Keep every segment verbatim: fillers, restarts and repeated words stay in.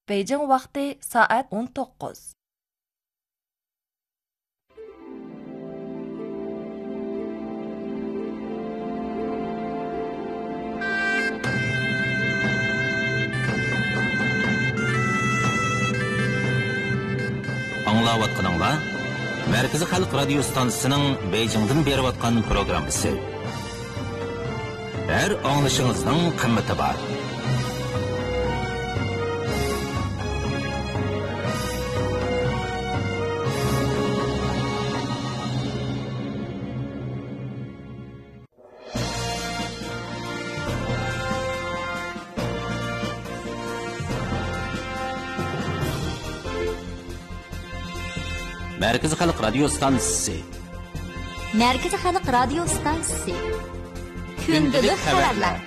بېيجىڭ ۋاقتى سائەت ئون توققۇز. ئاڭلاۋاتقىنىڭلار مەركىزىي خەلق رادىيو ستانسىسىنىڭ بېيجىڭدىن بېرىۋاتقان پروگراممىسى. ھەر ئاڭلىشىڭىزنىڭ قىممىتى بار. مەركىزىي خەلق رادىيو ستانسىسى. مەركىزىي خەلق رادىيو ستانسىسى. كۈندىلىك خەۋەرلەر.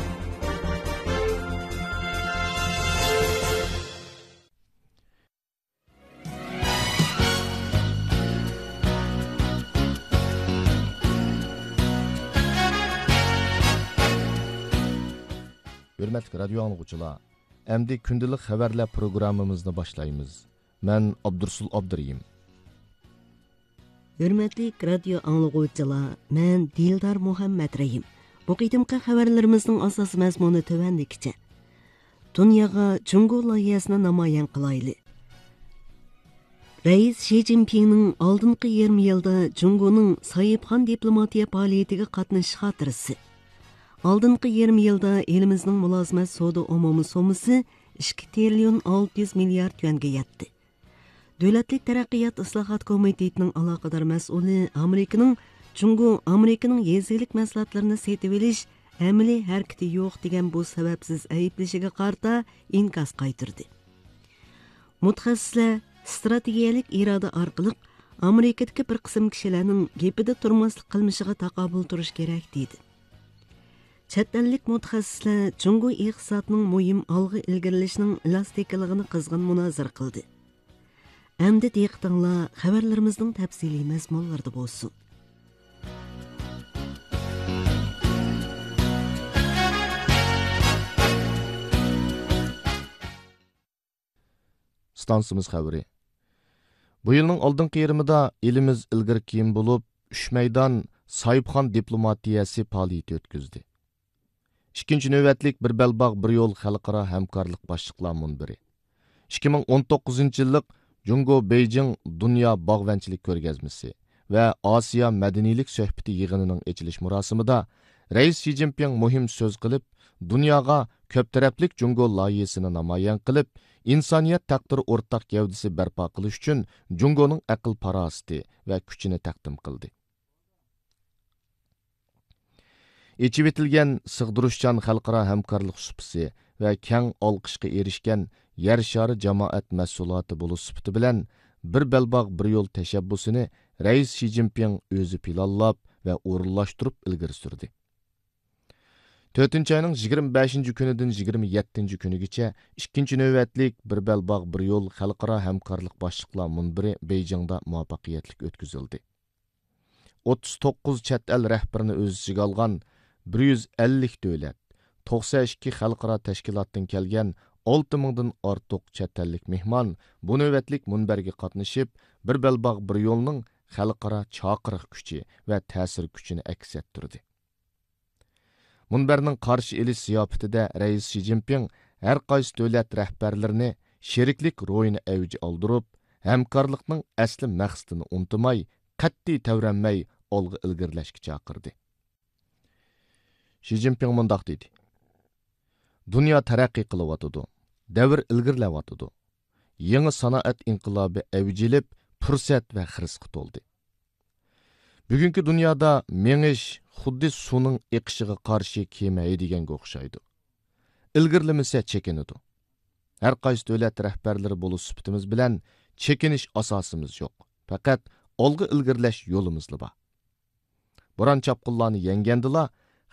ھۆرمەتلىك رادىيو ئاڭلىغۇچىلار، ئەمدى كۈندىلىك خەۋەرلەر پروگراممىمىزنى باشلايمىز. مەن ئابدۇرسۇل ئابدۇرېھىم. ھۆرمەتلىك رادىيو ئاڭلىغۇچىلار، مەن دىلدار مۇھەممەترېھىم. بۇ قېتىمقى خەۋەرلىرىمىزنىڭ ئاساسىي مەزمۇنى تۆۋەندىكىچە. دۇنياغا جۇڭگو لايىھەسىنى نامايان قىلايلى. رەئىس شى جىنپىڭنىڭ ئالدىنقى يېرىم يىلدا جۇڭگونىڭ ساھىبخان دىپلوماتىيە پائالىيىتىگە قاتنىشىش خاتىرىسى. ئالدىنقى يېرىم يىلدا ئېلىمىزنىڭ مۇلازىمەت سودا ئومۇمىي سوممىسى ئىككى تىرىليون ئالتە يۈز مىليارد يۈەنگە يەتتى. دۆلەتلىك تەرەققىيات ئىسلاھات كومىتېتىنىڭ ئالاقىدار مەسئۇلى ئامېرىكىنىڭ جۇڭگو ئامېرىكىنىڭ يېزا ئىگىلىك مەھسۇلاتلىرىنى سېتىۋېلىش ئەمەلىي ھەرىكىتى يوق دېگەن بۇ سەۋەبسىز ئەيىبلىشىگە قارىتا ئىنكاس قايتۇردى. مۇتەخەسسىسلەر ستراتېگىيەلىك ئىرادە ئارقىلىق ئامېرىكىدىكى بىر قىسىم كىشىلەرنىڭ گېپىدە تۇرماسلىق قىلمىشىغا تاقابىل تۇرۇش كېرەك، دېدى. چەت ئەللىك مۇتەخەسسىسلەر جۇڭگو ئىقتىسادىنىڭ مۇھىم ئالغا ئىلگىرىلىشىنىڭ ئېلاستىكىلىقىنى قىزغىن مۇنازىرە قىلدى. ئەمدى دىققىتىڭلار خەۋەرلىرىمىزنىڭ تەپسىلىي مەزمۇنلىرىدا بولسۇن. ئىستانسىمىز خەۋىرى. بۇ يىلنىڭ ئالدىنقى يېرىمىدا ئېلىمىز ئىلگىرى كېيىن بولۇپ، ئۈچ مەيدان ساھىبخان دىپلوماتىيەسى پائالىيىتى ئۆتكۈزدى. ئىككىنچى نۆۋەتلىك بىر بەلباغ، بىر يول خەلقئارا ھەمكارلىق باشلىقلار مۇنبىرى، ئىككى مىڭ ئون توققۇزىنچى يىللىق جۇڭگو بېيجىڭ دۇنيا باغۋەنچىلىك كۆرگەزمىسى ۋە ئاسىيا مەدەنىيلىك سۆھبىتى يىغىنىنىڭ ئېچىلىش مۇراسىمىدا رەئىس شى جىنپىڭ مۇھىم سۆز قىلىپ، دۇنياغا كۆپ تەرەپلىك جۇڭگو لايىھىسىنى نامايان قىلىپ، ئىنسانىيەت تەقدىرى ئورتاق گەۋدىسى بەرپا قىلىش ئۈچۈن جۇڭگونىڭ ئەقىل-پاراسىتى ۋە كۈچىنى تەقدىم قىلدى. ئېچىۋېتىلگەن سىغدۇرۇشچان خەلقئارا ھەمكارلىق سۇپىسى ۋە كەڭ ئالقىشقا ئېرىشكەن يەر شارى جامائەت مەھسۇلاتى بولۇش سۈپىتى بىلەن بىر بەلباغ، بىر يول تەشەببۇسىنى رەئىس شى جىنپىڭ ئۆزى پىلانلاپ ۋە ئورۇنلاشتۇرۇپ ئىلگىرى سۈردى. تۆتىنچى ئاينىڭ يىگىرمە بەشىنچى كۈنىدىن يىگىرمە يەتتىنچى كۈنىگىچە ئىككىنچى نۆۋەتلىك بىر بەلباغ، بىر يول خەلقئارا ھەمكارلىق باشلىقلار مۇنبىرى بېيجىڭدا مۇۋەپپەقىيەتلىك ئۆتكۈزۈلدى. ئوتتۇز توققۇز چەت ئەل رەھبىرىنى ئۆز ئىچىگە ئالغان بىر يۈز ئەللىك دۆلەت، توقسەن ئىككى خەلقئارا تەشكىلاتتىن كەلگەن ئالتە مىڭدىن ئارتۇق چەت ئەللىك مېھمان بۇ نۆۋەتلىك مۇنبەرگە قاتنىشىپ، بىر بەلباغ، بىر يولنىڭ خەلقئارا چاقىرىق كۈچى ۋە تەسىر كۈچىنى ئەكس ئەتتۈردى. مۇنبەرنىڭ قارشى ئېلىش زىياپىتىدە رەئىس شى جىنپىڭ ھەر قايسى دۆلەت رەھبەرلىرىنى شېرىكلىك روھىنى ئەۋج ئالدۇرۇپ، ھەمكارلىقنىڭ ئەسلى مەقسىتىنى ئۇنتۇماي، قەتئىي تەۋرەنمەي ئالغا ئىلگىرىلەشكە چاقىردى. شى جىنپىڭ مۇنداق دېدى: دۇنيا تەرەققىي قىلىۋاتىدۇ، دەۋر ئىلگىرىلەۋاتىدۇ. يېڭى سانائەت ئىنقىلابى ئەۋج ئېلىپ، پۇرسەت ۋە خىرىسقا تولدى. بۈگۈنكى دۇنيادا مېڭىش خۇددى سۇنىڭ ئېقىشىغا قارشى كېمە ھەيدىگەنگە ئوخشايدۇ. ئىلگىرىلىمىسە چېكىنىدۇ. ھەر قايسى دۆلەت رەھبەرلىرى بولۇش سۈپىتىمىز بىلەن چېكىنىش ئاساسىمىز يوق. پەقەت ئالغا ئىلگىرىلەش يولىمىزلا بار. بوران-چاپقۇنلارنى يەڭگەندىلا،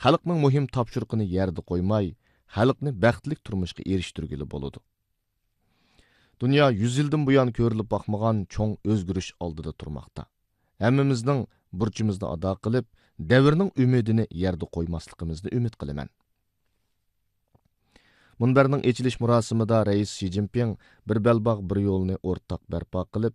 خەلقنىڭ مۇھىم تاپشۇرۇقىنى يەردە قويماي، خەلقنى بەختلىك تۇرمۇشقا ئېرىشتۈرگىلى بولىدۇ. دۇنيا يۈز يىلدىن بۇيان كۆرۈلۈپ باقمىغان چوڭ ئۆزگىرىش ئالدىدا تۇرماقتا. ھەممىمىزنىڭ بۇرچىمىزنى ئادا قىلىپ، دەۋرنىڭ ئۈمىدىنى يەردە قويماسلىقىمىزنى ئۈمىد قىلىمەن. مۇنبەرنىڭ ئېچىلىش مۇراسىمىدا رەئىس شى جىنپىڭ «بىر بەلباغ، بىر يولنى ئورتاق بەرپا قىلىپ،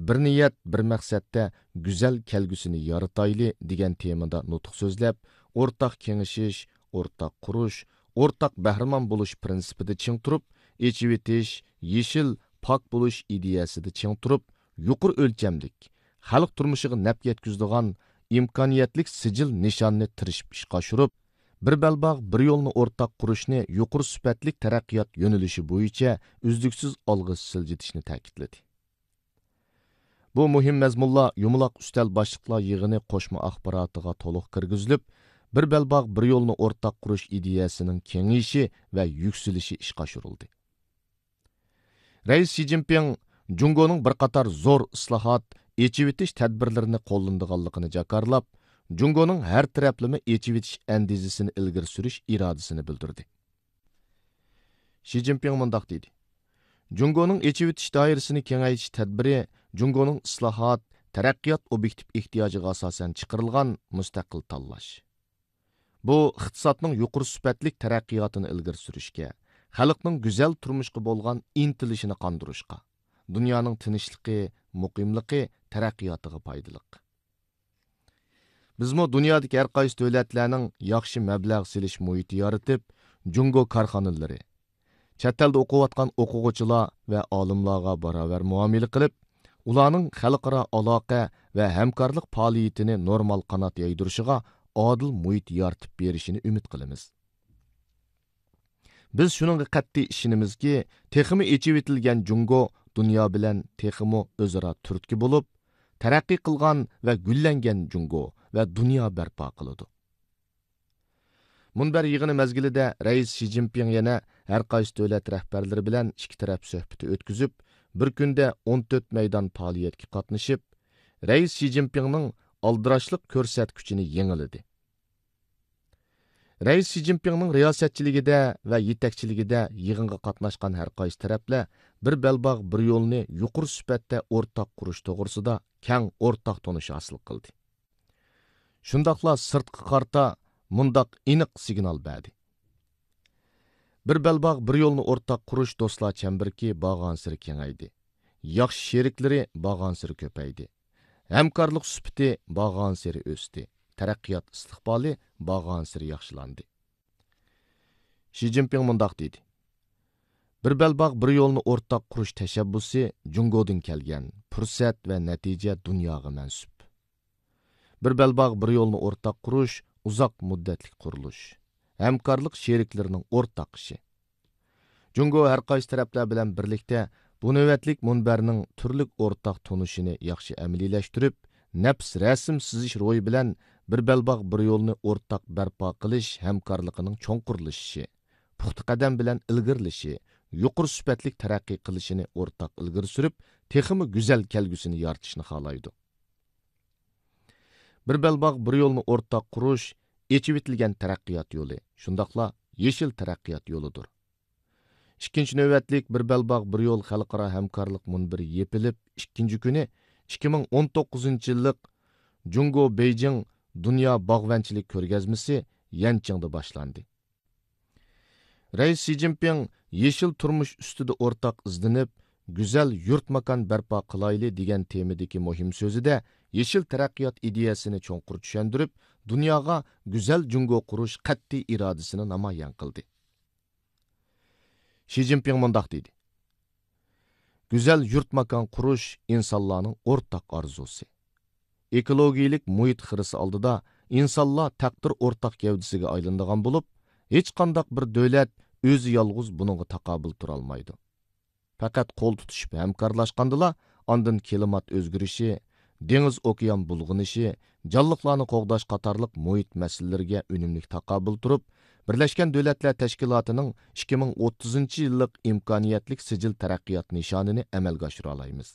بىر نىيەت، بىر مەقسەتتە گۈزەل كەلگۈسىنى يارىتايلى» دېگەن تېمىدا نۇتۇق سۆزلەپ، ئورتاق كېڭىشىش، ئورتاق قۇرۇش، ئورتاق بەھرىمەن بولۇش پىرىنسىپىدا چىڭ تۇرۇپ، ئېچىۋېتىش، يېشىل، پاك بولۇش ئىدىيەسىدە چىڭ تۇرۇپ، يۇقىرى ئۆلچەملىك، خەلق تۇرمۇشىغا نەپ يەتكۈزىدىغان ئىمكانىيەتلىك سىجىل نىشاننى تىرىشىپ ئىشقا ئاشۇرۇپ، «بىر بەلباغ، بىر يولنى ئورتاق قۇرۇشنى يۇقىرى سۈپەتلىك تەرەققىيات يۆنىلىشى بويىچە ئۈزلۈكسىز ئالغا سىلجىتىشنى» تەكىتلىدى. بۇ مۇھىم مەزمۇنلار يۇمىلاق ئۈستەل باشلىقلار يىغىنى قوشما ئاخباراتىغا تولۇق كىرگۈزۈلۈپ، «بىر بەلباغ، بىر يولنى ئورتاق قۇرۇش» ئىدىيەسىنىڭ كېڭىيىشى ۋە يۈكسىلىشى ئىشقا ئاشۇرۇلدى. رەئىس شى جىنپىڭ جۇڭگونىڭ بىر قاتار زور ئىسلاھات، ئېچىۋېتىش تەدبىرلىرىنى قوللىنىدىغانلىقىنى جاكارلاپ، جۇڭگونىڭ ھەر تەرەپلىمە ئېچىۋېتىش ئەندىزىسىنى ئىلگىرى سۈرۈش ئىرادىسىنى بىلدۈردى. شى جىنپىڭ مۇنداق دېدى: «جۇڭگونىڭ ئېچىۋېتىش دائىرىسىنى كېڭەيتىش تەدبىرى جۇڭگونىڭ ئىسلاھات، تەرەققىيات ئوبيېكتىپ ئېھتىياجىغا ئاساسەن چىقىرىلغان مۇستەقىل تاللاش. بۇ ئىقتىسادنىڭ يۇقىرى سۈپەتلىك تەرەققىياتىنى ئىلگىرى سۈرۈشكە، خەلقنىڭ گۈزەل تۇرمۇشقا بولغان ئىنتىلىشىنى قاندۇرۇشقا، دۇنيانىڭ تىنچلىقى، مۇقىملىقى، تەرەققىياتىغا پايدىلىق. بىزمۇ دۇنيادىكى ھەر قايسى دۆلەتلەرنىڭ ياخشى مەبلەغ سېلىش مۇھىتى يارىتىپ، جۇڭگو كارخانىلىرى، چەت ئەلدە ئوقۇۋاتقان ئوقۇغۇچىلار ۋە ئالىملارغا باراۋەر مۇئامىلە قىلىپ، ئۇلارنىڭ خەلقئارا ئالاقە ۋە ھەمكارلىق پائالىيىتىنى نورمال قانات يايدۇرۇشىغا ئادىل مۇھىت يارىتىپ بېرىشىنى ئۈمىد قىلىمىز. بىز شۇنىڭغا قەتئىي ئىشىنىمىزكى، تېخىمۇ ئېچىۋېتىلگەن جۇڭگو دۇنيا بىلەن تېخىمۇ ئۆزئارا تۈرتكە بولۇپ، تەرەققىي قىلغان ۋە گۈللەنگەن جۇڭگو ۋە دۇنيا بەرپا قىلىدۇ.» مۇنبەر يىغىنى مەزگىلىدە رەئىس شى جىنپىڭ يەنە ھەر قايسى دۆلەت رەھبەرلىرى بىلەن ئىككى تەرەپ سۆھبىتى ئۆتكۈزۈپ، بىر كۈندە ئون تۆت مەيدان پائالىيەتكە قاتنىشىپ، رەئىس شى جىنپىڭنىڭ ئالدىراشلىق كۆرسەتكۈچىنى يېڭىلىدى. رەئىس شى جىنپىڭنىڭ رىياسەتچىلىكىدە ۋە يېتەكچىلىكىدە يىغىنغا قاتناشقان ھەر قايسى تەرەپلەر «بىر بەلباغ، بىر يولنى» يۇقىرى سۈپەتتە ئورتاق قۇرۇش توغرىسىدا كەڭ ئورتاق تونۇش ھاسىل قىلدى. شۇنداقلا سىرتقا قارىتا مۇنداق ئېنىق سىگنال بەردى: «بىر بەلباغ، بىر يولنى ئورتاق قۇرۇش دوستلار چەمبىرىكى بارغانسېرى كېڭەيدى. ياخشى شېرىكلىرى بارغانسېرى كۆپەيدى. ھەمكارلىق سۈپىتى بارغانسېرى ئۆستى. تەرەققىيات ئىستىقبالى بارغانسېرى ياخشىلاندى.» شى جىنپىڭ مۇنداق دېدى: «بىر بەلباغ، بىر يولنى ئورتاق قۇرۇش تەشەببۇسى جۇڭگودىن كەلگەن، پۇرسەت ۋە نەتىجە دۇنياغا مەنسۇپ. بىر بەلباغ، بىر يولنى ئورتاق قۇرۇش ئۇزاق مۇددەتلىك قۇرۇلۇش، ھەمكارلىق شېرىكلىرىنىڭ ئورتاق ئىشى. جۇڭگو ھەر قايسى تەرەپلەر بىلەن بىرلىكتە بۇ نۆۋەتلىك مۇنبەرنىڭ تۈرلۈك ئورتاق تونۇشىنى ياخشى ئەمەلىيلەشتۈرۈپ، نەپس رەسىم سىزىش روھى بىلەن بىر بەلباغ، بىر يولنى ئورتاق بەرپا قىلىش ھەمكارلىقىنىڭ چوڭقۇرلىشىشى، پۇختا قەدەم بىلەن ئىلگىرىلىشى، يۇقىرى سۈپەتلىك تەرەققىي قىلىشىنى ئورتاق ئىلگىرى سۈرۈپ، تېخىمۇ گۈزەل كەلگۈسىنى يارىتىشنى خالايدۇ. بىر بەلباغ، بىر يولنى ئورتاق قۇرۇش ئېچىۋېتىلگەن تەرەققىيات يولى، شۇنداقلا يېشىل تەرەققىيات يولىدۇر. ئىككىنچى نۆۋەتلىك بىر بەلباغ، بىر يول خەلقئارا ھەمكارلىق مۇنبىرى يېپىلىپ، ئىككىنچى كۈنى ئىككى مىڭ ئون توققۇزىنچى يىللىق جۇڭگو بېيجىڭ دۇنيا باغۋەنچىلىك كۆرگەزمىسى يەنچىڭدا باشلاندى. رەئىس شى جىنپىڭ «يېشىل تۇرمۇش ئۈستىدە ئورتاق ئىزدىنىپ، گۈزەل يۇرت ماكان بەرپا قىلايلى» دېگەن تېمىدىكى مۇھىم سۆزىدە يېشىل تەرەققىيات ئىدىيەسىنى چوڭقۇر چۈشەندۈرۈپ، دۇنياغا گۈزەل جۇڭگو قۇرۇش قەتئىي ئىرادىسىنى نامايان قىلدى. شى جىنپىڭ مۇنداق دېدى: «گۈزەل يۇرت ماكان قۇرۇش ئىنسانلارنىڭ ئورتاق ئارزۇسى. ئېكولوگىيىلىك مۇھىت خىرىسى ئالدىدا ئىنسانلار تەقدىر ئورتاق گەۋدىسىگە ئايلىنىدىغان بولۇپ، ھېچقانداق بىر دۆلەت ئۆزى يالغۇز بۇنىڭغا تاقابىل تۇرالمايدۇ. پەقەت قول تۇتۇشۇپ ھەمكارلاشقاندىلا، ئاندىن كىلىمات ئۆزگىرىشى، دېڭىز ئوكيان بۇلغىنىشى، جانلىقلارنى قوغداش قاتارلىق مۇھىت مەسىلىلىرىگە ئۈنۈملۈك تاقابىل تۇرۇپ، بىرلەشكەن دۆلەتلەر تەشكىلاتىنىڭ ئىككى مىڭ ئوتتۇزىنچى يىللىق ئىمكانىيەتلىك سىجىل تەرەققىيات نىشانىنى ئەمەلگە ئاشۇرالايمىز.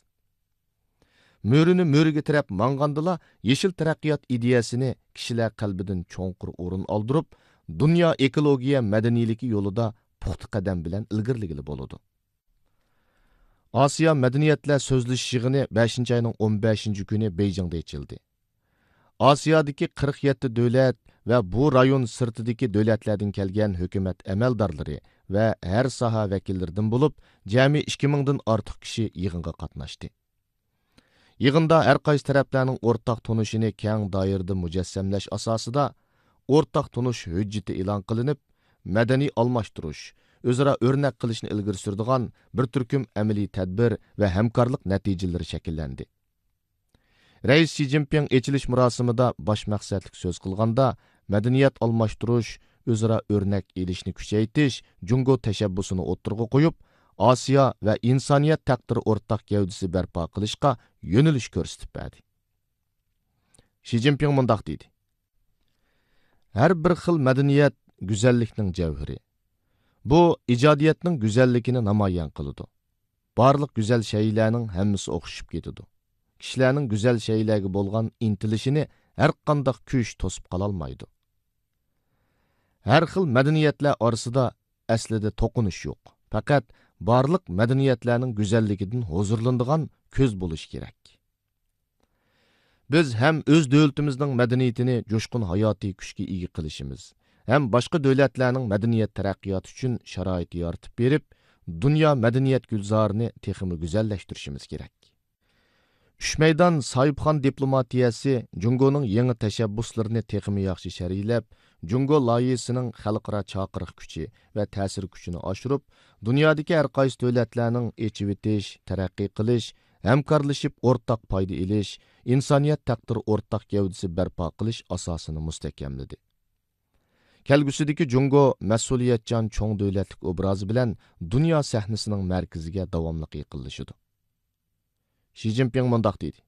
مۈرىنى مۈرىگە تىرەپ ماڭغاندىلا، يېشىل تەرەققىيات ئىدىيەسىنى كىشىلەر قەلبىدىن چوڭقۇر ئورۇن ئالدۇرۇپ، دۇنيا ئېكولوگىيە مەدەنىيلىكى يولىدا پۇختا قەدەم بىلەن ئىلگىرىلىگىلى بولىدۇ.» ئاسىيا مەدەنىيەتلەر سۆزلىشىش يىغىنى بەشىنچى ئاينىڭ ئون بەشىنچى كۈنى بېيجىڭدا ئېچىلدى. ئاسىيادىكى قىرىق يەتتە دۆلەت ۋە بۇ رايون سىرتىدىكى دۆلەتلەردىن كەلگەن ھۆكۈمەت ئەمەلدارلىرى ۋە ھەر ساھە ۋەكىللىرىدىن بولۇپ، جەمئىي ئىككى مىڭدىن ئارتۇق كىشى يىغىنغا قاتناشتى. يىغىندا ھەر قايسى تەرەپلەرنىڭ ئورتاق تونۇشىنى كەڭ دائىرىدە مۇجەسسەملەش ئاساسىدا ئورتاق تونۇش ھۆججىتى ئېلان قىلىنىپ، مەدەنىي ئالماشتۇرۇش، ئۆزئارا ئۆرنەك قىلىشنى ئىلگىرى سۈرىدىغان بىر تۈركۈم ئەمەلىي تەدبىر ۋە ھەمكارلىق نەتىجىلىرى شەكىللەندى. رەئىس شى جىنپىڭ ئېچىلىش مۇراسىمىدا باش مەقسەتلىك سۆز قىلغاندا، مەدەنىيەت ئالماشتۇرۇش، ئۆزئارا ئۆرنەك ئېلىشنى كۈچەيتىش جۇڭگو تەشەببۇسىنى ئوتتۇرىغا قويۇپ، ئاسىيا ۋە ئىنسانىيەت تەقدىرى ئورتاق گەۋدىسى بەرپا قىلىشقا يۆنىلىش كۆرسىتىپ بەردى. شى جىنپىڭ مۇنداق دېدى: ھەر بىر خىل مەدەنىيەت گۈزەللىكنىڭ جەۋھىرى. بۇ ئىجادىيەتنىڭ گۈزەللىكىنى نامايان قىلىدۇ. بارلىق گۈزەل شەيئىلەرنىڭ ھەممىسى ئوخشىشىپ كېتىدۇ. كىشىلەرنىڭ گۈزەل شەيئىلەرگە بولغان ئىنتىلىشىنى ھەرقانداق كۈچ توسۇپ قالالمايدۇ. ھەر خىل مەدەنىيەتلەر ئارىسىدا ئەسلىدە توقۇنۇش يوق. پەقەت بارلىق مەدەنىيەتلەرنىڭ گۈزەللىكىدىن ھۇزۇرلىنىدىغان كۆز بولۇشى كېرەك. بىز ھەم ئۆز دۆلىتىمىزنىڭ مەدەنىيىتىنى جۇشقۇن ھاياتىي كۈچكە ئىگە قىلىشىمىز، ھەم باشقا دۆلەتلەرنىڭ مەدەنىيەت تەرەققىياتى ئۈچۈن شارائىت يارىتىپ بېرىپ، دۇنيا مەدەنىيەت گۈلزارىنى تېخىمۇ گۈزەللەشتۈرۈشىمىز كېرەك. ئۈچ مەيدان ساھىبخان دىپلوماتىيەسى جۇڭگونىڭ يېڭى تەشەببۇسلىرىنى تېخىمۇ ياخشى شەرھلەپ، جۇڭگو لايىھىسىنىڭ خەلقئارا چاقىرىق كۈچى ۋە تەسىر كۈچىنى ئاشۇرۇپ، دۇنيادىكى ھەر قايسى دۆلەتلەرنىڭ ئېچىۋېتىش، تەرەققىي قىلىش، ھەمكارلىشىپ ئورتاق پايدا ئېلىش، ئىنسانىيەت تەقدىرى ئورتاق گەۋدىسى بەرپا قىلىش ئاساسىنى مۇستەھكەملىدى. كەلگۈسىدىكى جۇڭگو مەسئۇلىيەتچان چوڭ دۆلەتلىك ئوبرازى بىلەن دۇنيا سەھنىسىنىڭ مەركىزىگە داۋاملىق يېقىنلىشىدۇ. شى جىنپىڭ مۇنداق دېدى: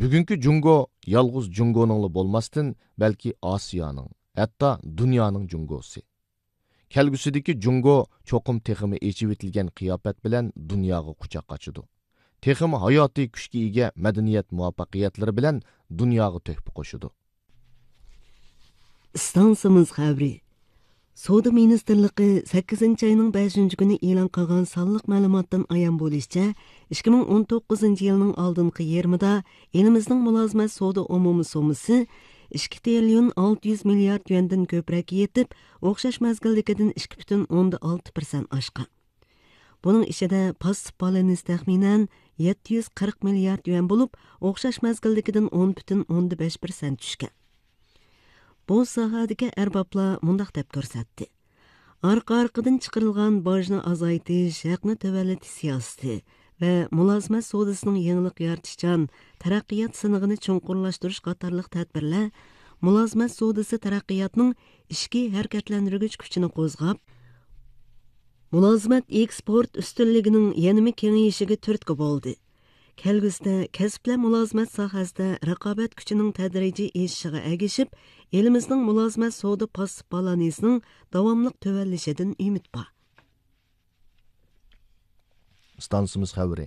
بۈگۈنكى جۇڭگو يالغۇز جۇڭگونىڭلا بولماستىن، بەلكى ئاسىيانىڭ، ھەتتا دۇنيانىڭ جۇڭگوسى. كەلگۈسىدىكى جۇڭگو چوقۇم تېخىمۇ ئېچىۋېتىلگەن قىياپەت بىلەن دۇنياغا قۇچاق ئاچىدۇ. تېخىمۇ ھاياتىي كۈچكە ئىگە مەدەنىيەت مۇۋەپپەقىيەتلىرى بىلەن دۇنياغا تۆھپە قوشىدۇ. ئىستانسىمىز خەۋىرى. سودا مىنىستىرلىقى سەككىزىنچى ئاينىڭ بەشىنچى كۈنى ئېلان قىلغان سانلىق مەلۇماتتىن ئايان بولۇشىچە، ئىككى مىڭ ئون توققۇزىنچى يىلنىڭ ئالدىنقى يېرىمىدا ئېلىمىزنىڭ مۇلازىمەت سودا ئومۇمىي سوممىسى ئىككى تىرىليون ئالتە يۈز مىليارد يۈەندىن كۆپرەككە يېتىپ، ئوخشاش مەزگىلدىكىدىن ئىككى پۈتۈن ئوندىن ئالتە پىرسەنت ئاشقان. بۇنىڭ ئىچىدە پاسسىپ بالانس تەخمىنەن يەتتە يۈز قىرىق مىليارد يۈەن بولۇپ، ئوخشاش مەزگىلدىكىدىن ئون پۈتۈن ئوندىن بەش پىرسەنت چۈشكەن. بۇ ساھەدىكى ئەربابلار مۇنداق دەپ كۆرسەتتى: ئارقا-ئارقىدىن چىقىرىلغان باجنى ئازايتىش، ھەقنى تۆۋەنلىتىش سىياسىتى ۋە مۇلازىمەت سودىسىنىڭ يېڭىلىق يارىتىشچان تەرەققىيات سىنىقىنى چوڭقۇرلاشتۇرۇش قاتارلىق تەدبىرلەر مۇلازىمەت سودىسى تەرەققىياتنىڭ ئىچكى ھەرىكەتلەندۈرگۈچ كۈچىنى قوزغاپ، مۇلازىمەت ئېكسپورت ئۈستۈنلۈكىنىڭ يەنىمۇ كېڭىيىشىگە تۈرتكە بولدى. كەلگۈسىدە كەسىپلەر مۇلازىمەت ساھەسىدە رىقابەت كۈچىنىڭ تەدرىجىي ئېشىشىغا ئەگىشىپ، ئېلىمىزنىڭ مۇلازىمەت سودا پاسسىپ بالانسىنىڭ داۋاملىق تۆۋەنلىشىدىن ئۈمىد بار. ئىستانسىمىز خەۋىرى.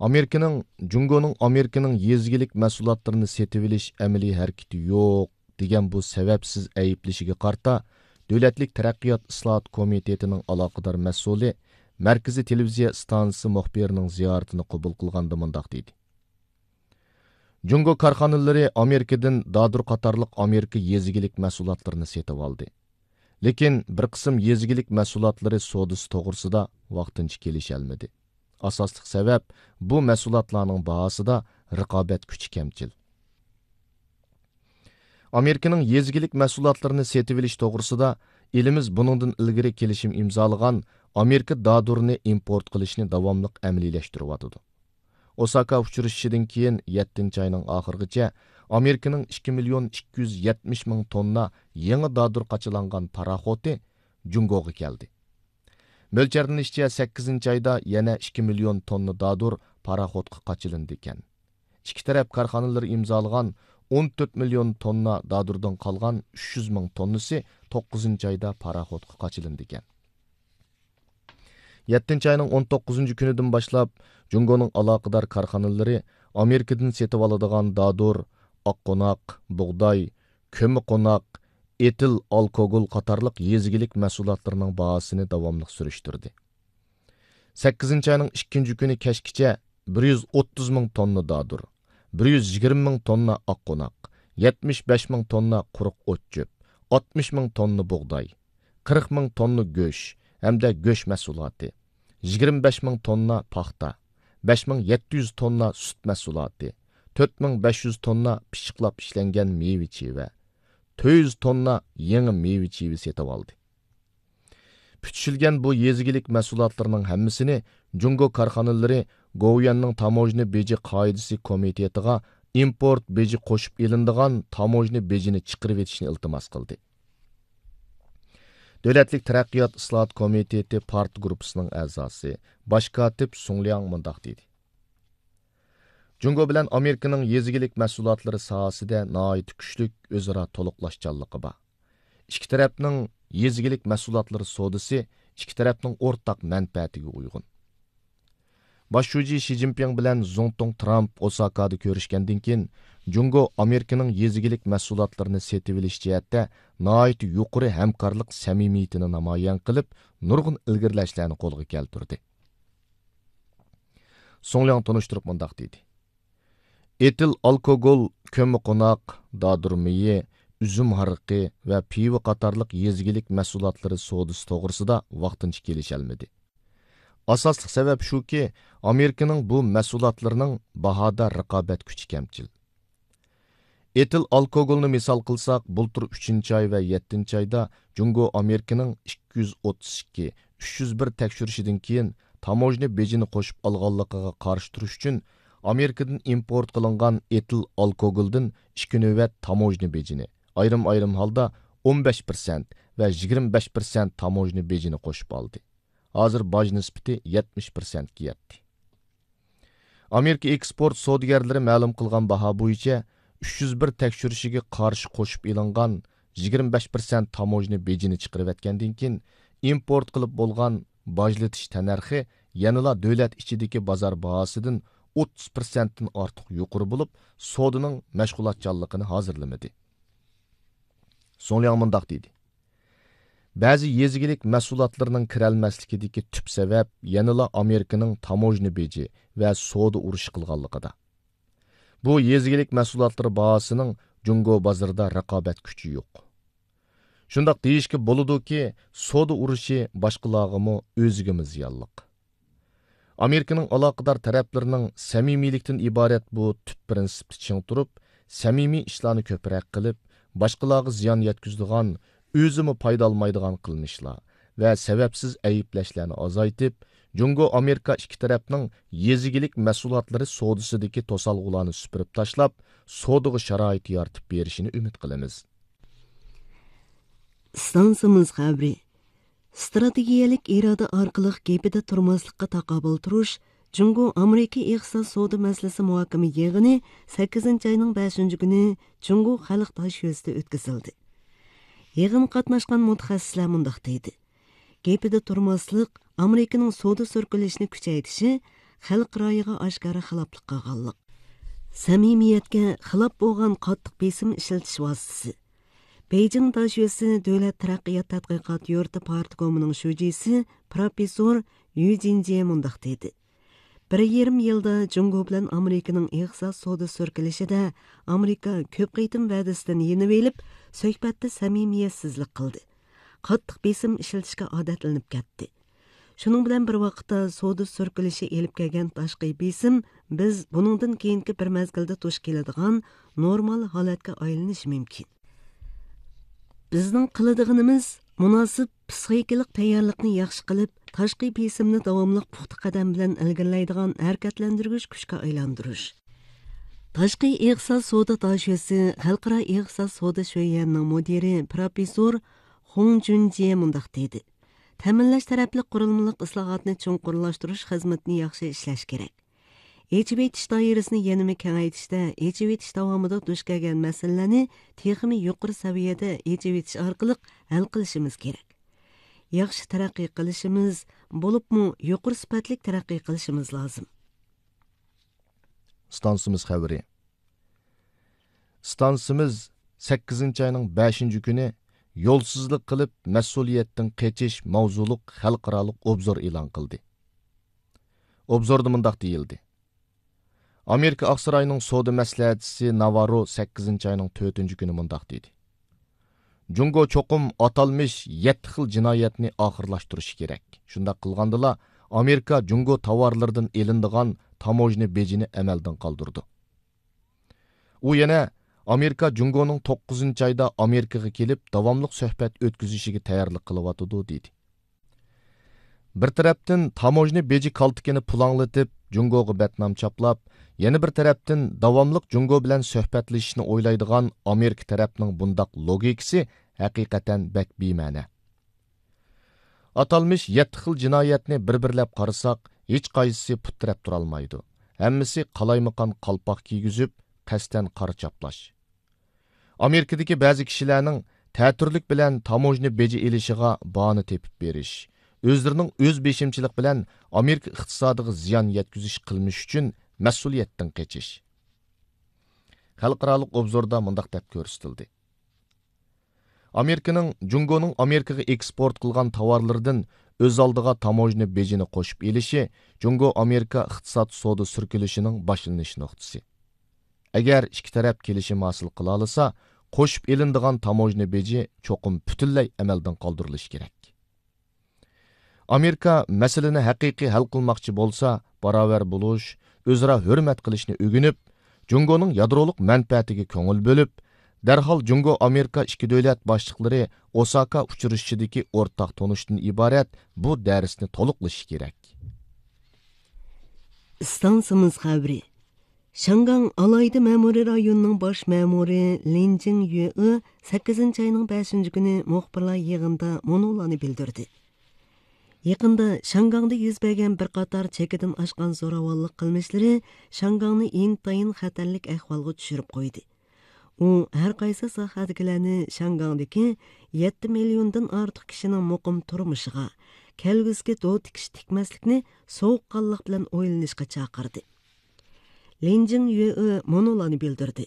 ئامېرىكىنىڭ، جۇڭگونىڭ ئامېرىكىنىڭ يېزا ئىگىلىك مەھسۇلاتلىرىنى سېتىۋېلىش ئەمەلىي ھەرىكىتى يوق دېگەن بۇ سەۋەبسىز ئەيىبلىشىگە قارىتا، دۆلەتلىك تەرەققىيات ئىسلاھات كومىتېتىنىڭ ئالاقىدار مەسئۇلى مەركىزىي تېلېۋىزىيە ئىستانسىسى مۇخبىرىنىڭ زىيارىتىنى قوبۇل قىلغاندا مۇنداق دېدى: جۇڭگو كارخانىلىرى ئامېرىكىدىن دادۇر قاتارلىق ئامېرىكا يېزا ئىگىلىك مەھسۇلاتلىرىنى سېتىۋالدى. لېكىن بىر قىسىم يېزا ئىگىلىك مەھسۇلاتلىرى سودىسى توغرىسىدا ۋاقتىنچە كېلىشەلمىدى. ئاساسلىق سەۋەب، بۇ مەھسۇلاتلارنىڭ باھاسىدا رىقابەت كۈچى كەمچىل. ئامېرىكىنىڭ يېزا ئىگىلىك مەھسۇلاتلىرىنى سېتىۋېلىش توغرىسىدا ئېلىمىز بۇنىڭدىن ئىلگىرى كېلىشىم ئىمزالىغان ئامېرىكا دادۇرىنى ئىمپورت قىلىشنى داۋاملىق ئەمەلىيلەشتۈرۈۋاتىدۇ. ئوساكا ئۇچرىشىشىدىن كېيىن يەتتىنچى ئاينىڭ ئاخىرىغىچە ئامېرىكىنىڭ ئىككى مىليون ئىككى يۈز يەتمىش مىڭ توننا يېڭى دادۇر قاچىلانغان پاراخوتى جۇڭگوغا كەلدى. مۆلچەرلىنىشىچە، سەككىزىنچى ئايدا يەنە ئىككى مىليون توننا دادۇر پاراخوتقا قاچىلىنىدىكەن. ئىككى تەرەپ كارخانىلىرى ئىمزالىغان ئون تۆت مىليون توننا دادۇردىن قالغان ئۈچ يۈز مىڭ توننىسى توققۇزىنچى ئايدا پاراخوتقا قاچىلىنىدىكەن. يەتتىنچى ئاينىڭ ئون توققۇزىنچى كۈنىدىن باشلاپ، جۇڭگونىڭ ئالاقىدار كارخانىلىرى ئامېرىكىدىن سېتىۋالىدىغان دادۇر، ئاققوناق، بۇغداي، كۆممىقوناق، ئېتىل ئالكوگول قاتارلىق يېزا ئىگىلىك مەھسۇلاتلىرىنىڭ باھاسىنى داۋاملىق سۈرۈشتۈردى. سەككىزىنچى ئاينىڭ ئىككىنچى كۈنى كەچكىچە بىر يۈز ئوتتۇز مىڭ توننا دادۇر، بىر يۈز يىگىرمە مىڭ توننا ئاققوناق، يەتمىش بەش مىڭ توننا قۇرۇق ئوت-چۆپ، ئاتمىش مىڭ توننا بۇغداي، قىرىق مىڭ توننا گۆش ھەمدە گۆش مەھسۇلاتى، يىگىرمە بەش مىڭ توننا پاختا، بەش مىڭ يەتتە يۈز توننا سۈت مەھسۇلاتى، تۆت مىڭ بەش يۈز توننا پىششىقلاپ ئىشلەنگەن مېۋە چىۋە، تۆت يۈز توننا يېڭى مېۋە چىۋە سېتىۋالدى. پۈتۈشۈلگەن بۇ يېزا ئىگىلىك مەھسۇلاتلىرىنىڭ ھەممىسىنى جۇڭگو كارخانىلىرى گوۋۇيۈەننىڭ تاموژنا بېجى قائىدىسى كومىتېتىغا ئىمپورت بېجى قوشۇپ ئېلىنىدىغان تاموژنا بېجىنى چىقىرىۋېتىشنى ئىلتىماس قىلدى. دۆلەتلىك تەرەققىيات ئىسلاھات كومىتېتى پارت گۇرۇپپىسىنىڭ ئەزاسى، باش كاتىپ سۇڭ لياڭ مۇنداق دېدى: جۇڭگو بىلەن ئامېرىكىنىڭ يېزا ئىگىلىك مەھسۇلاتلىرى ساھەسىدە ناھايىتى كۈچلۈك ئۆزئارا تولۇقلاشچانلىقى بار. ئىككى تەرەپنىڭ يېزا ئىگىلىك مەھسۇلاتلىرى سودىسى ئىككى تەرەپنىڭ ئورتاق مەنپەئەتىگە ئۇيغۇن. باش شۇجى شى جىنپىڭ بىلەن زۇڭتۇڭ ترامپ ئوساكادا كۆرۈشكەندىن كېيىن، جۇڭگو ئامېرىكىنىڭ يېزا ئىگىلىك مەھسۇلاتلىرىنى سېتىۋېلىش جەھەتتە ناھايىتى يۇقىرى ھەمكارلىق سەمىمىيىتىنى نامايان قىلىپ، نۇرغۇن ئىلگىرىلەشلەرنى قولغا كەلتۈردى. سۇڭ لياڭ تونۇشتۇرۇپ مۇنداق دېدى: ئېتىل ئالكوگول، كۆممىقوناق، دادۇر مېيى، ئۈزۈم ھارىقى ۋە پىۋا قاتارلىق يېزا ئىگىلىك مەھسۇلاتلىرى سودىسى توغرىسىدا ۋاقتىنچە كېلىشەلمىدى. ئاساسلىق سەۋەب شۇكى، ئامېرىكىنىڭ بۇ مەھسۇلاتلىرىنىڭ باھادا رىقابەت كۈچى كەمچىل. ئېتىل ئالكوگولنى مىسال قىلساق، بۇلتۇر ئۈچىنچى ئاي ۋە يەتتىنچى ئايدا جۇڭگو ئامېرىكىنىڭ ئىككى يۈز ئوتتۇز ئىككى، ئۈچ يۈز بىر تەكشۈرۈشىدىن كېيىن تاموژنا بېجىنى قوشۇپ ئالغانلىقىغا قارشى تۇرۇش ئۈچۈن، ئامېرىكىدىن ئىمپورت قىلىنغان ئېتىل ئالكوگولدىن ئىككى نۆۋەت تاموژنا بېجىنى، ئايرىم-ئايرىم ھالدا ئون بەش پىرسەنت ۋە يىگىرمە بەش پىرسەنت تاموژنا بېجىنى قوشۇپ ئالدى. ھازىر باج نىسبىتى يەتمىش پىرسەنتكە يەتتى. ئامېرىكا ئېكسپورت سودىگەرلىرى مەلۇم قىلغان باھا بويىچە، ئۈچ يۈز بىر تەكشۈرۈشىگە قارشى قوشۇپ ئېلىنغان يىگىرمە بەش پىرسەنت تاموژنا بېجىنى چىقىرىۋەتكەندىن كېيىن، ئىمپورت قىلىپ بولغان باجلىتىش تەننەرخى يەنىلا دۆلەت ئىچىدىكى بازار باھاسىدىن ئوتتۇز پىرسەنتتىن ئارتۇق يۇقىرى بولۇپ، سودىنىڭ مەشغۇلاتچانلىقىنى ھازىرلىمىدى. سۇڭ لياڭ مۇنداق دېدى: بەزى يېزا ئىگىلىك مەھسۇلاتلىرىنىڭ كىرەلمەسلىكىدىكى تۈپ سەۋەب يەنىلا ئامېرىكىنىڭ تاموژنا بېجى ۋە سودا ئۇرۇشى قىلغانلىقىدا. بۇ يېزا ئىگىلىك مەھسۇلاتلىرى باھاسىنىڭ جۇڭگو بازىرىدا رىقابەت كۈچى يوق. شۇنداق دېيىشكە بولىدۇكى، سودا ئۇرۇشى باشقىلارغىمۇ، ئۆزىگىمۇ زىيانلىق. ئامېرىكىنىڭ ئالاقىدار تەرەپلىرىنىڭ سەمىمىيلىكتىن ئىبارەت بۇ تۈپ پىرىنسىپتا چىڭ تۇرۇپ، سەمىمىي ئىشلارنى كۆپرەك قىلىپ، باشقىلارغا زىيان يەتكۈزىدىغان، ئۆزىمۇ پايدا ئالمايدىغان قىلمىشلار ۋە سەۋەبسىز ئەيىبلەشلەرنى ئازايتىپ، جۇڭگو ئامېرىكا ئىككى تەرەپنىڭ يېزا ئىگىلىك مەھسۇلاتلىرى سودىسىدىكى توسالغۇلارنى سۈپۈرۈپ تاشلاپ، سودىغا شارائىت يارىتىپ بېرىشىنى ئۈمىد قىلىمىز. ئىستانسىمىز خەۋىرى. ئىستراتېگىيەلىك ئىرادە ئارقىلىق گېپىدە تۇرماسلىققا تاقابىل تۇرۇش، جۇڭگو ئامېرىكا ئىقتىساد سودا مەسىلىسى مۇھاكىمە يىغىنى سەككىزىنچى ئاينىڭ بەشىنچى كۈنى جۇڭگو خەلق تاشيۆزىدە ئۆتكۈزۈلدى. يىغىنغا قاتناشقان مۇتەخەسسىسلەر مۇنداق دېدى: گېپىدە تۇرماسلىق ئامېرىكىنىڭ سودا سۈركىلىشىنى كۈچەيتىشى، خەلق رايىغا ئاشكارا خىلاپلىق قىلغانلىق. سەمىمىيەتكە خىلاپ بولغان قاتتىق بېسىم ئىشلىتىش ۋاسىتىسى. بېيجىڭ داشۆسى دۆلەت تەرەققىيات تەتقىقات يۇرتى پارتكومىنىڭ شۇجىسى پروفېسسور يۈ جىنجيې مۇنداق دېدى: بىر يېرىم يىلدا جۇڭگو بىلەن ئامېرىكىنىڭ ئىقتىساد سودا سۈركىلىشىدە ئامېرىكا كۆپ قېتىم ۋەدىسىدىن يېنىۋېلىپ، سۆھبەتتە سەمىمىيەتسىزلىك قىلدى. قاتتىق بېسىم ئىشلىتىشكە ئادەتلىنىپ كەتتى. شۇنىڭ بىلەن بىر ۋاقىتتا، سودا سۈركىلىشى ئېلىپ كەلگەن تاشقى بېسىم، بىز بۇنىڭدىن كېيىنكى بىر مەزگىلدە دۇچ كېلىدىغان نورمال ھالەتكە ئايلىنىشى مۇمكىن. بىزنىڭ قىلىدىغىنىمىز، مۇناسىپ پسىخىكىلىق تەييارلىقنى ياخشى قىلىپ، تاشقى بېسىمنى داۋاملىق پۇختا قەدەم بىلەن ئىلگىرىلەيدىغان ھەرىكەتلەندۈرگۈچ كۈچكە ئايلاندۇرۇش. تاشقى ئىقتىساد سودا داشۆسى خەلقئارا ئىقتىساد سودا شۆيۈەنىنىڭ مۇدىرى پروفېسسور خۇڭ جۈنجيې مۇنداق دېدى: تەمىنلەش تەرەپلىك قۇرۇلمىلىق ئىسلاھاتنى چوڭقۇرلاشتۇرۇش خىزمىتىنى ياخشى ئىشلەش كېرەك. ئېچىۋېتىش دائىرىسىنى يەنىمۇ كېڭەيتىشتە، ئېچىۋېتىش داۋامىدا دۇچ كەلگەن مەسىلىلەرنى تېخىمۇ يۇقىرى سەۋىيەدە ئېچىۋېتىش ئارقىلىق ھەل قىلىشىمىز كېرەك. ياخشى تەرەققىي قىلىشىمىز، بولۇپمۇ يۇقىرى سۈپەتلىك تەرەققىي قىلىشىمىز لازىم. ئىستانسىمىز خەۋىرى. ئىستانسىمىز سەككىزىنچى ئاينىڭ بەشىنچى كۈنى يولسىزلىق قىلىپ مەسئۇلىيەتتىن قېچىش ماۋزۇلۇق خەلقئارالىق ئوبزور ئېلان قىلدى. ئوبزوردا مۇنداق دېيىلدى: ئامېرىكا ئاقساراينىڭ سودا مەسلىھەتچىسى ناۋاررو سەككىزىنچى ئاينىڭ تۆتىنچى كۈنى مۇنداق دېدى: جۇڭگو چوقۇم ئاتالمىش يەتتە خىل جىنايەتنى ئاخىرلاشتۇرۇشى كېرەك. شۇنداق قىلغاندىلا، ئامېرىكا جۇڭگو تاۋارلىرىدىن ئېلىنىدىغان تاموژنا بېجىنى ئەمەلدىن قالدۇرىدۇ. ئۇ يەنە، ئامېرىكا جۇڭگونىڭ توققۇزىنچى ئايدا ئامېرىكىغا كېلىپ، داۋاملىق سۆھبەت ئۆتكۈزۈشىگە تەييارلىق قىلىۋاتىدۇ، دېدى. بىر تەرەپتىن تاموژنا بېجى كالتىكىنى پۇلاڭلىتىپ، جۇڭگوغا بەتنام چاپلاپ، يەنە بىر تەرەپتىن داۋاملىق جۇڭگو بىلەن سۆھبەتلىشىشنى ئويلايدىغان ئامېرىكا تەرەپنىڭ بۇنداق لوگىكىسى ھەقىقەتەن بەك بىمەنە. ئاتالمىش يەتتە خىل جىنايەتنى بىر-بىرلەپ قارىساق، ھېچقايسىسى پۇت تىرەپ تۇرالمايدۇ. ھەممىسى قالايمىقان قالپاق كىيگۈزۈپ، قەستەن قارا چاپلاش. ئامېرىكىدىكى بەزى كىشىلەرنىڭ تەتۈرلۈك بىلەن تاموژنا بېجى ئېلىشىغا باھانە تېپىپ بېرىش، ئۆزلىرىنىڭ ئۆز بېشىمچىلىق بىلەن ئامېرىكا ئىقتىسادىغا زىيان يەتكۈزۈش قىلمىشى ئۈچۈن مەسئۇلىيەتتىن قېچىش. خەلقئارالىق ئوبزوردا مۇنداق دەپ كۆرسىتىلدى: ئامېرىكىنىڭ جۇڭگونىڭ ئامېرىكىغا ئېكسپورت قىلغان تاۋارلىرىدىن ئۆز ئالدىغا تاموژنا بېجىنى قوشۇپ ئېلىشى جۇڭگو ئامېرىكا ئىقتىساد سودا سۈركىلىشىنىڭ باشلىنىش نۇقتىسى. ئەگەر ئىككى تەرەپ كېلىشىم ھاسىل قىلالىسا، قوشۇپ ئېلىنىدىغان تاموژنا بېجى چوقۇم پۈتۈنلەي ئەمەلدىن قالدۇرۇلۇشى كېرەك. ئامېرىكا مەسىلىنى ھەقىقىي ھەل قىلماقچى بولسا، باراۋەر بولۇش، ئۆزئارا ھۆرمەت قىلىشنى ئۆگىنىپ، جۇڭگونىڭ يادرولۇق مەنپەئەتىگە كۆڭۈل بۆلۈپ، دەرھال جۇڭگو ئامېرىكا ئىككى دۆلەت باشلىقلىرى ئوساكا ئۇچرىشىشىدىكى ئورتاق تونۇشتىن ئىبارەت بۇ دەرسنى تولۇقلىشى كېرەك. ئىستانسىمىز خەۋىرى. شياڭگاڭ ئالاھىدە مەمۇرىي رايونىنىڭ باش مەمۇرى لىن جىڭيۈې سەككىزىنچى ئاينىڭ بەشىنچى كۈنى مۇخبىرلار يىغىنىدا مۇنۇلارنى بىلدۈردى. يېقىندا شياڭگاڭدا يۈز بەرگەن بىر قاتار چېكىدىن ئاشقان زوراۋانلىق قىلمىشلىرى شياڭگاڭنى ئىنتايىن خەتەرلىك ئەھۋالغا چۈشۈرۈپ قويدى. ئۇ ھەر قايسى ساھەدىكىلەرنى شياڭگاڭدىكى يەتتە مىليوندىن ئارتۇق كىشىنىڭ مۇقىم تۇرمۇشىغا، كەلگۈسىگە دو تىكىش تىكمەسلىكنى سوغۇققانلىق بىلەن ئويلىنىشقا چاقىردى. لىن جىڭيۈې مۇنۇلارنى بىلدۈردى: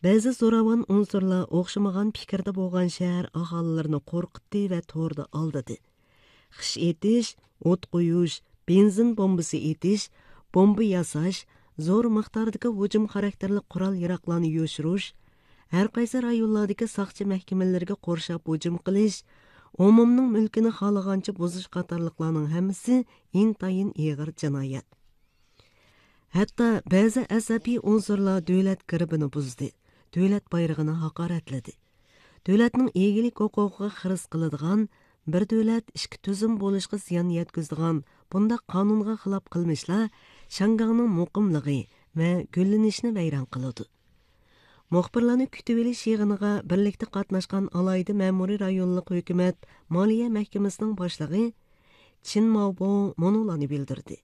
بەزى زوراۋان ئۇنسۇرلار ئوخشىمىغان پىكىردە بولغان شەھەر ئاھالىلىرىنى قورقۇتتى ۋە توردا ئالدىدى. خىش ئېتىش، ئوت قويۇش، بېنزىن بومبىسى ئېتىش، بومبا ياساش، زور مىقداردىكى ھۇجۇم خاراكتېرلىك قورال-ياراغلارنى يوشۇرۇش، ھەر قايسى رايونلاردىكى ساقچى مەھكىمىلىرىگە قورشاپ ھۇجۇم قىلىش، ئومۇمنىڭ مۈلكىنى خالىغانچە بۇزۇش قاتارلىقلارنىڭ ھەممىسى ئىنتايىن ئېغىر جىنايەت. ھەتتا بەزى ئەسەبىي ئۇنسۇرلار دۆلەت گېربىنى بۇزدى، دۆلەت بايرىقىنى ھاقارەتلىدى. دۆلەتنىڭ ئىگىلىك ھوقۇقىغا خىرىس قىلىدىغان، بىر دۆلەت، ئىككى تۈزۈم بولۇشقا زىيان يەتكۈزىدىغان بۇنداق قانۇنغا خىلاپ قىلمىشلار شياڭگاڭنىڭ مۇقىملىقى ۋە گۈللىنىشىنى ۋەيران قىلىدۇ. مۇخبىرلارنى كۈتۈۋېلىش يىغىنىغا بىرلىكتە قاتناشقان ئالاھىدە مەمۇرىي رايونلۇق ھۆكۈمەت مالىيە مەھكىمىسىنىڭ باشلىقى چىن ماۋبو مۇنۇلارنى بىلدۈردى: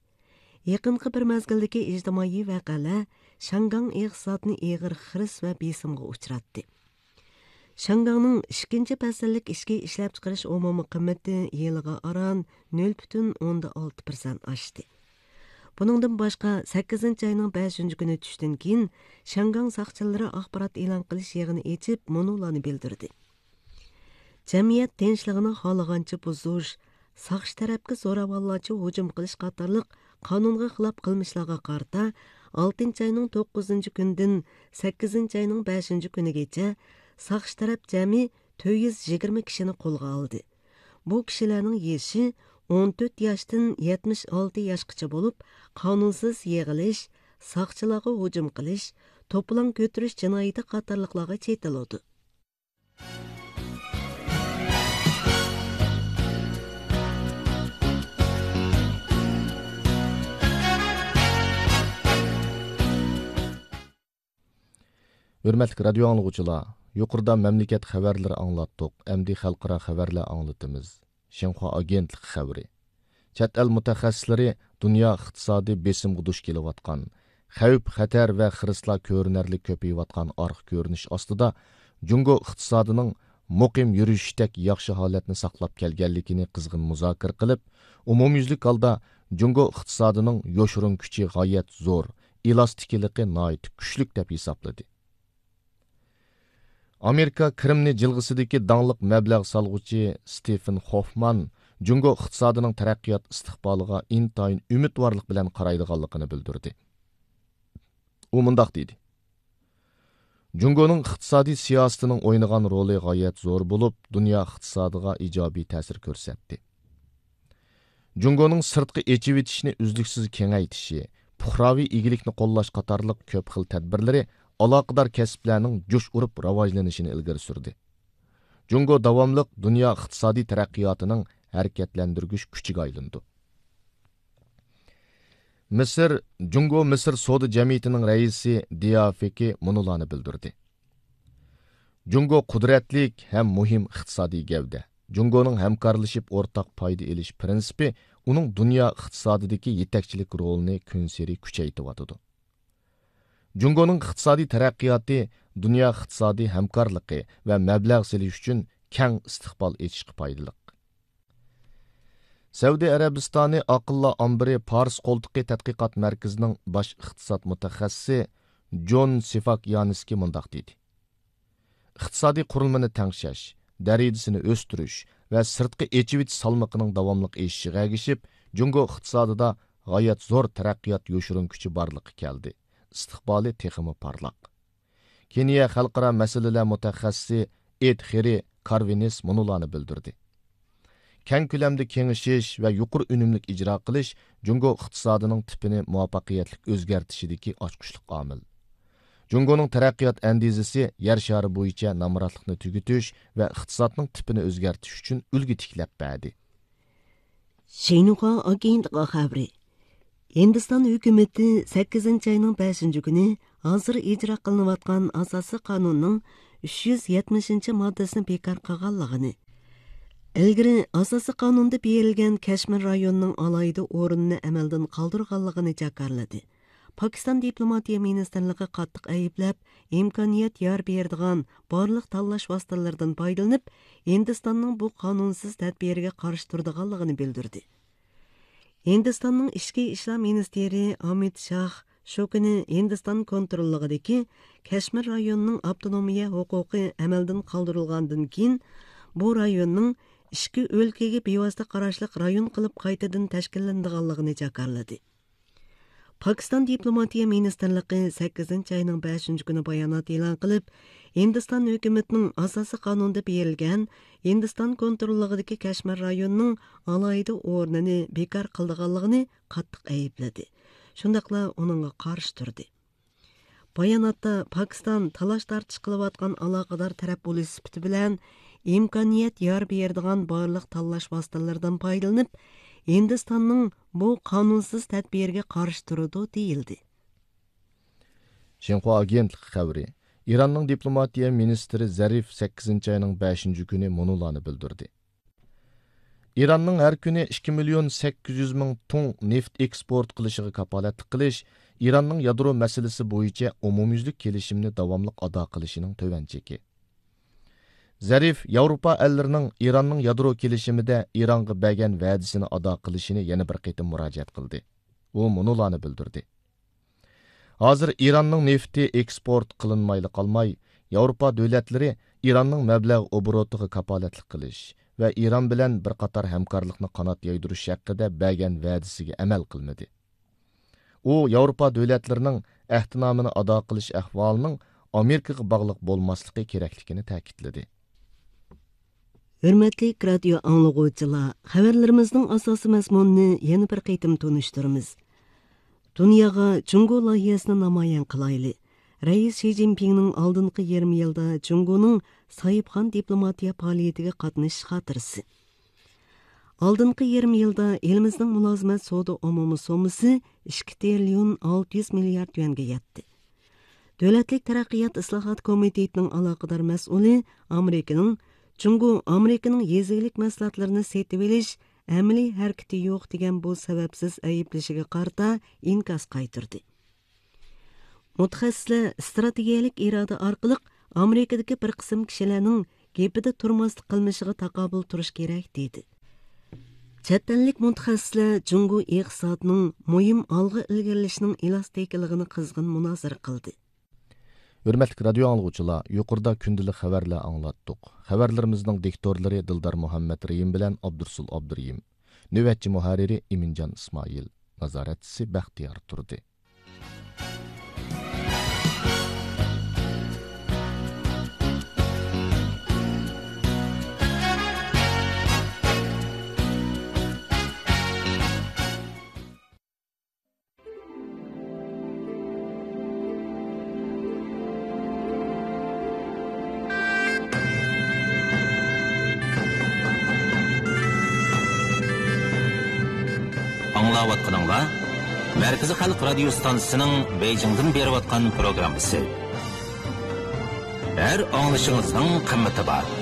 يېقىنقى بىر مەزگىلدىكى ئىجتىمائىي ۋەقەلەر شياڭگاڭ ئىقتىسادىنى ئېغىر خىرىس ۋە بېسىمغا ئۇچراتتى. شياڭگاڭنىڭ ئىككىنچى پەسىللىك ئىچكى ئىشلەپچىقىرىش ئومۇمىي قىممىتى يىلىغا ئاران نۆل پۈتۈن ئوندىن ئالتە پىرسەنت ئاشتى. بۇنىڭدىن باشقا، سەككىزىنچى ئاينىڭ بەشىنچى كۈنى چۈشتىن كېيىن، شياڭگاڭ ساقچىلىرى ئاخبارات ئېلان قىلىش يىغىنى ئېچىپ، مۇنۇلارنى بىلدۈردى: جەمئىيەت تىنچلىقىنى خالىغانچە بۇزۇش، ساقچى تەرەپكە زوراۋانلارچە ھۇجۇم قىلىش قاتارلىق قانۇنغا خىلاپ قىلمىشلارغا قارىتا، ئالتىنچى ئاينىڭ توققۇزىنچى كۈنىدىن سەككىزىنچى ئاينىڭ بەشىنچى كۈنىگىچە ساقچى تەرەپ جەمئىي تۆت يۈز يىگىرمە كىشىنى قولغا ئالدى. بۇ كىشىلەرنىڭ يېشى ئون تۆت ياشتىن يەتمىش ئالتە ياشقىچە بولۇپ، قانۇنسىز يىغىلىش، ساقچىلارغا ھۇجۇم قىلىش، توپىلاڭ كۆتۈرۈش جىنايىتى قاتارلىقلارغا چېتىلىدۇ. ھۆرمەتلىك رادىيو ئاڭلىغۇچىلار، يۇقىرىدا مەملىكەت خەۋەرلىرى ئاڭلاتتۇق، ئەمدى خەلقئارا خەۋەرلەر ئاڭلىتىمىز. شىنخۇا ئاگېنتلىقى خەۋىرى. چەت ئەل مۇتەخەسسىسلىرى دۇنيا ئىقتىسادى بېسىمغا دۇچ كېلىۋاتقان، خەۋپ-خەتەر ۋە خىرىسلار كۆرۈنەرلىك كۆپىيىۋاتقان ئارقا كۆرۈنۈش ئاستىدا، جۇڭگو ئىقتىسادىنىڭ مۇقىم يۈرۈشۈشتەك ياخشى ھالەتنى ساقلاپ كەلگەنلىكىنى قىزغىن مۇزاكىرە قىلىپ، ئومۇميۈزلۈك ھالدا جۇڭگو ئىقتىسادىنىڭ يوشۇرۇن كۈچى غايەت زور، ئېلاستىكىلىقى ناھايىتى كۈچلۈك دەپ ھېسابلىدى. ئامېرىكا كىرىمنى جىلغىسىدىكى داڭلىق مەبلەغ سالغۇچى ستېفېن خوفمان جۇڭگو ئىقتىسادىنىڭ تەرەققىيات ئىستىقبالىغا ئىنتايىن ئۈمىدۋارلىق بىلەن قارايدىغانلىقىنى بىلدۈردى. ئۇ مۇنداق دېدى: جۇڭگونىڭ ئىقتىسادىي سىياسىتىنىڭ ئوينىغان رولى غايەت زور بولۇپ، دۇنيا ئىقتىسادىغا ئىجابىي تەسىر كۆرسەتتى. جۇڭگونىڭ سىرتقا ئېچىۋېتىشنى ئۈزلۈكسىز كېڭەيتىشى، پۇقراۋى ئىگىلىكنى قوللاش قاتارلىق كۆپ خىل تەدبىرلىرى ئالاقىدار كەسىپلەرنىڭ جۇش ئۇرۇپ راۋاجلىنىشىنى ئىلگىرى سۈردى. جۇڭگو داۋاملىق دۇنيا ئىقتىسادىي تەرەققىياتىنىڭ ھەرىكەتلەندۈرگۈچ كۈچىگە ئايلىنىدۇ. مىسىر، جۇڭگو مىسىر سودا جەمئىيىتىنىڭ رەئىسى دىيا فېكى مۇنۇلارنى بىلدۈردى: جۇڭگو قۇدرەتلىك ھەم مۇھىم ئىقتىسادىي گەۋدە. جۇڭگونىڭ ھەمكارلىشىپ ئورتاق پايدا ئېلىش پىرىنسىپى ئۇنىڭ دۇنيا ئىقتىسادىدىكى يېتەكچىلىك رولىنى كۈنسېرى كۈچەيتىۋاتىدۇ. جۇڭگونىڭ ئىقتىسادىي تەرەققىياتى دۇنيا ئىقتىسادىي ھەمكارلىقى ۋە مەبلەغ سېلىش ئۈچۈن كەڭ ئىستىقبال ئېچىشقا پايدىلىق. سەئۇدى ئەرەبىستانى ئاقىللار ئامبىرى پارس قولتۇقى تەتقىقات مەركىزىنىڭ باش ئىقتىساد مۇتەخەسسىسى جون سىفاكيانسكى مۇنداق دېدى: ئىقتىسادىي قۇرۇلمىنى تەڭشەش، دەرىجىسىنى ئۆستۈرۈش ۋە سىرتقا ئېچىۋېتىش سالمىقىنىڭ داۋاملىق ئېشىشىغا ئەگىشىپ، جۇڭگو ئىقتىسادىدا غايەت زور تەرەققىيات يوشۇرۇن كۈچى بارلىققا كەلدى، ئىستىقبالى تېخىمۇ پارلاق. كېنىيە خەلقئارا مەسىلىلەر مۇتەخەسسىسى ئېد خېرى كارۋىنىس مۇنۇلارنى بىلدۈردى: كەڭ كۆلەمدە كېڭىشىش ۋە يۇقىرى ئۈنۈملۈك ئىجرا قىلىش جۇڭگو ئىقتىسادىنىڭ تىپىنى مۇۋەپپەقىيەتلىك ئۆزگەرتىشىدىكى ئاچقۇچلۇق ئامىل. جۇڭگونىڭ تەرەققىيات ئەندىزىسى يەر شارى بويىچە نامراتلىقنى تۈگىتىش ۋە ئىقتىسادنىڭ تىپىنى ئۆزگەرتىش ئۈچۈن ئۈلگە تىكلەپ بەردى. شىنخۇا ئاگېنتلىقى خەۋىرى. ھىندىستان ھۆكۈمىتى سەككىزىنچى ئاينىڭ بەشىنچى كۈنى ھازىر ئىجرا قىلىنىۋاتقان ئاساسىي قانۇننىڭ ئۈچ يۈز يەتمىشىنچى ماددىسىنى بىكار قىلغانلىقىنى، ئىلگىرى ئاساسىي قانۇندا بېرىلگەن كەشمىر رايونىنىڭ ئالاھىدە ئورنىنى ئەمەلدىن قالدۇرغانلىقىنى جاكارلىدى. پاكىستان دىپلوماتىيە مىنىستىرلىقى قاتتىق ئەيىبلەپ، ئىمكانىيەت يار بېرىدىغان بارلىق تاللاش ۋاسىتىلىرىدىن پايدىلىنىپ، ھىندىستاننىڭ بۇ قانۇنسىز تەدبىرىگە قارشى تۇرىدىغانلىقىنى بىلدۈردى. ھىندىستاننىڭ ئىچكى ئىشلار مىنىستىرى ئامىت شاھ شۇ كۈنى ھىندىستان كونتروللۇقىدىكى كەشمىر رايونىنىڭ ئاپتونومىيە ھوقۇقى ئەمەلدىن قالدۇرۇلغاندىن كېيىن، بۇ رايوننىڭ ئىچكى ئۆلكىگە بىۋاسىتە قاراشلىق رايون قىلىپ قايتىدىن تەشكىللىنىدىغانلىقىنى جاكارلىدى. پاكىستان دىپلوماتىيە مىنىستىرلىقى سەككىزىنچى ئاينىڭ بەشىنچى كۈنى بايانات ئېلان قىلىپ، ھىندىستان ھۆكۈمىتىنىڭ ئاساسىي قانۇندا بېرىلگەن ھىندىستان كونتروللۇقىدىكى كەشمىر رايونىنىڭ ئالاھىدە ئورنىنى بىكار قىلىدىغانلىقىنى قاتتىق ئەيىبلىدى. شۇنداقلا ئۇنىڭغا قارشى تۇردى. باياناتتا پاكىستان تالاش-تارتىش قىلىۋاتقان ئالاقىدار تەرەپ بولۇش سۈپىتى بىلەن، ئىمكانىيەت يار بېرىدىغان بارلىق تاللاش ۋاسىتىلىرىدىن پايدىلىنىپ، ھىندىستاننىڭ بۇ قانۇنسىز تەدبىرىگە قارشى تۇرىدۇ، دېيىلدى. شىنخۇا ئاگېنتلىقى خەۋىرى. ئىراننىڭ دىپلوماتىيە مىنىستىرى زەرىف سەككىزىنچى ئاينىڭ بەشىنچى كۈنى مۇنۇلارنى بىلدۈردى: ئىراننىڭ ھەر كۈنى ئىككى مىليون سەككىز يۈز مىڭ تۇڭ نېفىت ئېكسپورت قىلىشىغا كاپالەتلىك قىلىش ئىراننىڭ يادرو مەسىلىسى بويىچە ئومۇميۈزلۈك كېلىشىمنى داۋاملىق ئادا قىلىشىنىڭ تۆۋەن چېكى. زەرىف ياۋروپا ئەللىرىنىڭ ئىراننىڭ يادرو كېلىشىمىدە ئىرانغا بەرگەن ۋەدىسىنى ئادا قىلىشىنى يەنە بىر قېتىم مۇراجىئەت قىلدى. ئۇ مۇنۇلارنى بىلدۈردى: ھازىر ئىراننىڭ نېفىتى ئېكسپورت قىلىنمايلا قالماي، ياۋروپا دۆلەتلىرى ئىراننىڭ مەبلەغ ئوبوروتىغا كاپالەتلىك قىلىش ۋە ئىران بىلەن بىر قاتار ھەمكارلىقنى قانات يايدۇرۇش ھەققىدە بەرگەن ۋەدىسىگە ئەمەل قىلمىدى. ئۇ ياۋروپا دۆلەتلىرىنىڭ ئەھدىنامىنى ئادا قىلىش ئەھۋالىنىڭ ئامېرىكىغا باغلىق بولماسلىقى كېرەكلىكىنى تەكىتلىدى. ھۆرمەتلىك رادىيو ئاڭلىغۇچىلار، خەۋەرلىرىمىزنىڭ ئاساسىي مەزمۇنىنى يەنە بىر قېتىم تونۇشتۇرىمىز. دۇنياغا جۇڭگو لايىھەسىنى نامايان قىلايلى. رەئىس شى جىنپىڭنىڭ ئالدىنقى يېرىم يىلدا جۇڭگونىڭ ساھىبخان دىپلوماتىيە پائالىيىتىگە قاتنىشىش خاتىرىسى. ئالدىنقى يېرىم يىلدا ئېلىمىزنىڭ مۇلازىمەت سودا ئومۇمىي سوممىسى ئىككى تىرىليون ئالتە يۈز مىليارد يۈەنگە يەتتى. دۆلەتلىك تەرەققىيات ئىسلاھات كومىتېتىنىڭ ئالاقىدار مەسئۇلى ئامېرىكىنىڭ، جۇڭگو ئامېرىكىنىڭ يېزا ئىگىلىك مەھسۇلاتلىرىنى سېتىۋېلىش ئەمەلىي ھەرىكىتى يوق دېگەن بۇ سەۋەبسىز ئەيىبلىشىگە قارىتا ئىنكاس قايتۇردى. مۇتەخەسسىسلەر ئىستراتېگىيەلىك ئىرادە ئارقىلىق ئامېرىكىدىكى بىر قىسىم كىشىلەرنىڭ گېپىدە تۇرماسلىق قىلمىشىغا تاقابىل تۇرۇش كېرەك، دېدى. چەت ئەللىك مۇتەخەسسىسلەر جۇڭگو ئىقتىسادىنىڭ مۇھىم ئالغا ئىلگىرىلىشىنىڭ ئېلاستىكىلىقىنى قىزغىن مۇنازىرە قىلدى. ھۆرمەتلىك رادىيو ئاڭلىغۇچىلار، يۇقىرىدا كۈندىلىك خەۋەرلەر ئاڭلاتتۇق. خەۋەرلىرىمىزنىڭ دىكتورلىرى دىلدار مۇھەممەد رېھىم بىلەن ئابدۇرسۇل ئابدۇرېھىم. نۆۋەتچى مۇھەررىرى ئىمىنجان ئىسمائىل. نازارەتچىسى بەختىيار تۇردى. ئاڭلاۋاتقىنىڭلار مەركىزىي خەلق رادىيو ستانسىسىنىڭ بېيجىڭدىن بېرىۋاتقان پروگراممىسى. ھەر ئاڭلىشىڭىزنىڭ قىممىتى بار.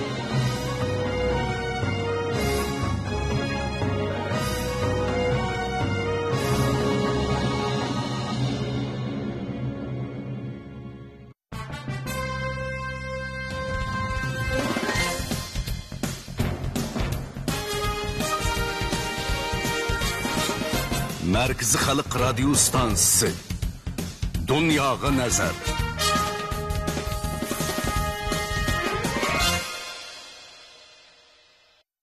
مەركىزىي خەلق رادىيو ستانسىسى. دۇنياغا نەزەر.